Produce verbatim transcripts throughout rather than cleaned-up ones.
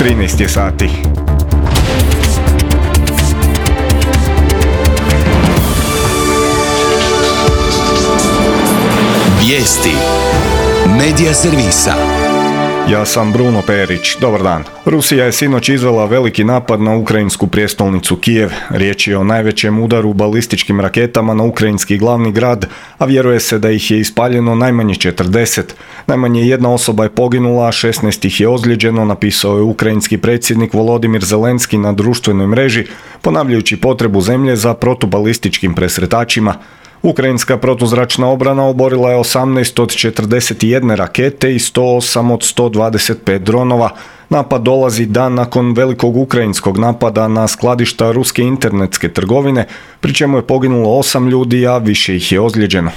trinaest je sati. Vijesti Medija servisa. Ja sam Bruno Perić. Dobar dan. Rusija je sinoć izvela veliki napad na ukrajinsku prijestolnicu Kijev. Riječ je o najvećem udaru balističkim raketama na ukrajinski glavni grad, a vjeruje se da ih je ispaljeno najmanje četrdeset. Najmanje jedna osoba je poginula, a šesnaest ih je ozlijeđeno, napisao je ukrajinski predsjednik Volodimir Zelenski na društvenoj mreži, ponavljajući potrebu zemlje za protubalističkim presretačima. Ukrajinska protuzračna obrana oborila je osamnaest od četrdeset jedne rakete i sto osam od sto dvadeset pet dronova. Napad dolazi dan nakon velikog ukrajinskog napada na skladišta ruske internetske trgovine, pri čemu je poginulo osam ljudi, a više ih je ozlijeđeno.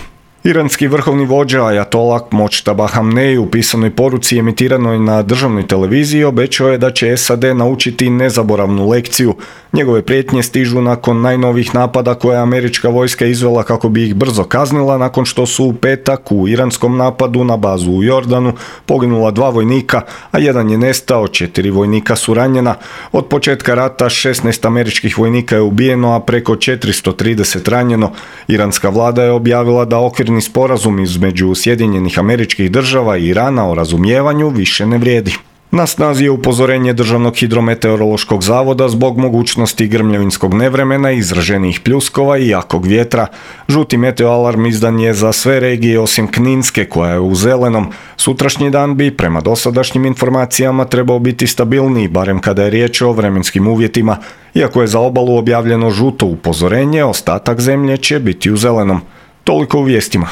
Iranski vrhovni vođa Ajatolah Močtaba Hamnej u pisanoj poruci emitiranoj na državnoj televiziji obećao je da će S A D naučiti nezaboravnu lekciju. Njegove prijetnje stižu nakon najnovijih napada koje je američka vojska izvela kako bi ih brzo kaznila nakon što su u petak u iranskom napadu na bazu u Jordanu poginula dva vojnika, a jedan je nestao, četiri vojnika su ranjena. Od početka rata šesnaest američkih vojnika je ubijeno, a preko četiristo trideset ranjeno. Iranska vlada je objavila da okvirni sporazum između Sjedinjenih Američkih Država i Irana o razumijevanju više ne vrijedi. Na snazi je upozorenje Državnog hidrometeorološkog zavoda zbog mogućnosti grmljavinskog nevremena, izraženih pljuskova i jakog vjetra. Žuti meteoalarm izdan je za sve regije osim Kninske koja je u zelenom. Sutrašnji dan bi, prema dosadašnjim informacijama, trebao biti stabilniji, barem kada je riječ o vremenskim uvjetima. Iako je za obalu objavljeno žuto upozorenje, ostatak zemlje će biti u zelenom. Toliko u vijestima.